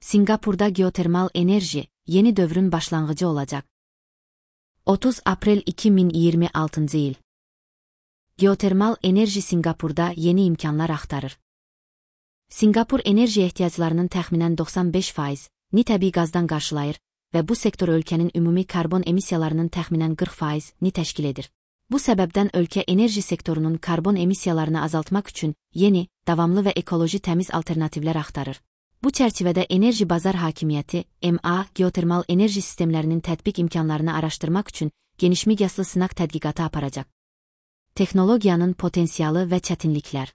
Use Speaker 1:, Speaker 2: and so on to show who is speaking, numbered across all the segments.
Speaker 1: Singapurda geotermal enerji, yeni dövrün başlangıcı olacak. 30 April 2026 yıl. Geotermal enerji Singapurda yeni imkanlar axtarır. Singapur enerji ehtiyaclarının təxminən 95%ni təbii qazdan qarşılayır və bu sektor ölkənin ümumi karbon emissiyalarının təxminən 40%ni təşkil edir. Bu səbəbdən ölkə enerji sektorunun karbon emissiyalarını azaltmaq üçün yeni, davamlı və ekoloji təmiz alternativlər axtarır. Bu çərçivədə Enerji Bazar Hakimiyyəti, MA, geotermal enerji sistemlərinin tətbiq imkanlarını araşdırmaq üçün genişmiqyaslı sınaq tədqiqatı aparacaq. Texnologiyanın potensialı və çətinliklər.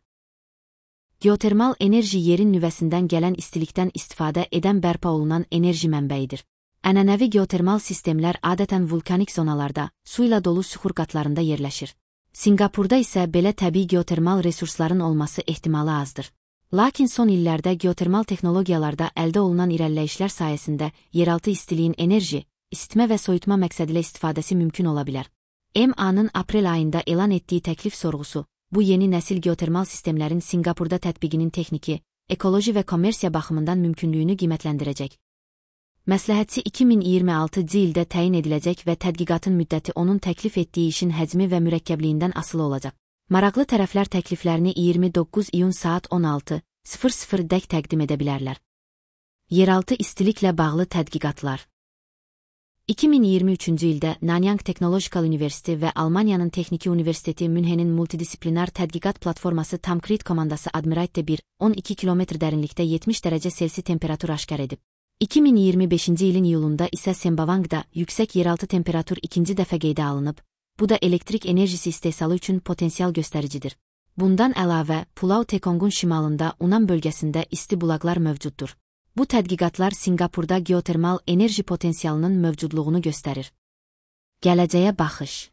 Speaker 1: Geotermal enerji yerin nüvəsindən gələn istilikdən istifadə edən bərpa olunan enerji mənbəyidir. Ənənəvi geotermal sistemlər adətən vulkanik zonalarda, su ilə dolu süxur qatlarında yerləşir. Singapurda isə belə təbii geotermal resursların olması ehtimalı azdır. Lakin son illərdə geotermal texnologiyalarda əldə olunan irəliləyişlər sayəsində yeraltı istiliyin enerji, isitmə və soyutma məqsədilə istifadəsi mümkün ola bilər. MA-nın aprel ayında elan etdiyi təklif sorğusu, bu yeni nəsil geotermal sistemlərin Singapurda tətbiqinin texniki, ekoloji və kommersiya baxımından mümkünlüyünü qiymətləndirəcək. Məsləhətçi 2026 ildə təyin ediləcək və tədqiqatın müddəti onun təklif etdiyi işin həcmi və mürəkkəbliyindən asılı olacaq. Maraqlı tərəflər təkliflərini 29 iyun saat 16:00-dək təqdim edə bilərlər. Yeraltı istiliklə bağlı tədqiqatlar. 2023-cü ildə Nanyang Technological University və Almaniyanın Texniki Universiteti Münhenin multidisiplinar tədqiqat platforması Tamkrit komandası Admiralty 1, 12 km dərinlikdə 70 dərəcə Selsi temperatur aşkar edib. 2025-ci ilin iyulunda isə Sembawangda yüksək yeraltı temperatur ikinci dəfə qeydə alınıb, bu da elektrik enerjisi istehsalı üçün potensial göstəricidir. Bundan əlavə, Pulau Tekongun şimalında Unan bölgəsində isti bulaqlar mövcuddur. Bu tədqiqatlar Singapurda geotermal enerji potensialının mövcudluğunu göstərir. Gələcəyə baxış.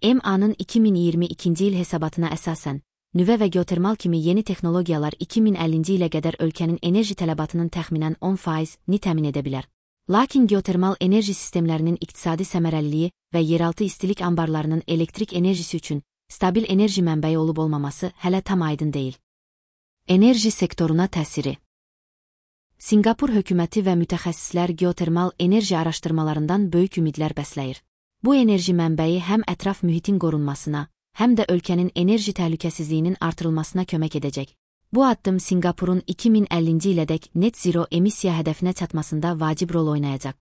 Speaker 1: MA-nın 2022-ci il hesabatına əsasən, nüvə və geotermal kimi yeni texnologiyalar 2050-ci ilə qədər ölkənin enerji tələbatının təxminən 10%ni təmin edə bilər. Lakin geotermal enerji sistemlərinin iqtisadi səmərəliliyi və yeraltı istilik anbarlarının elektrik enerjisi üçün stabil enerji mənbəyi olub-olmaması hələ tam aydın deyil. Enerji sektoruna təsiri. Singapur hökuməti və mütəxəssislər geotermal enerji araşdırmalarından böyük ümidlər bəsləyir. Bu enerji mənbəyi həm ətraf mühitin qorunmasına, həm də ölkənin enerji təhlükəsizliyinin artırılmasına kömək edəcək. Bu addım Singapurun 2050-ci ilədək net zero emissiya hədəfinə çatmasında vacib rol oynayacaq.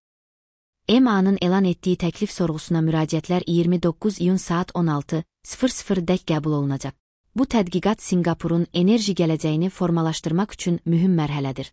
Speaker 1: MA-nın elan etdiyi təklif sorğusuna müraciətlər 29 iyun saat 16:00-dək qəbul olunacaq. Bu tədqiqat Singapurun enerji gələcəyini formalaşdırmaq üçün mühüm mərhələdir.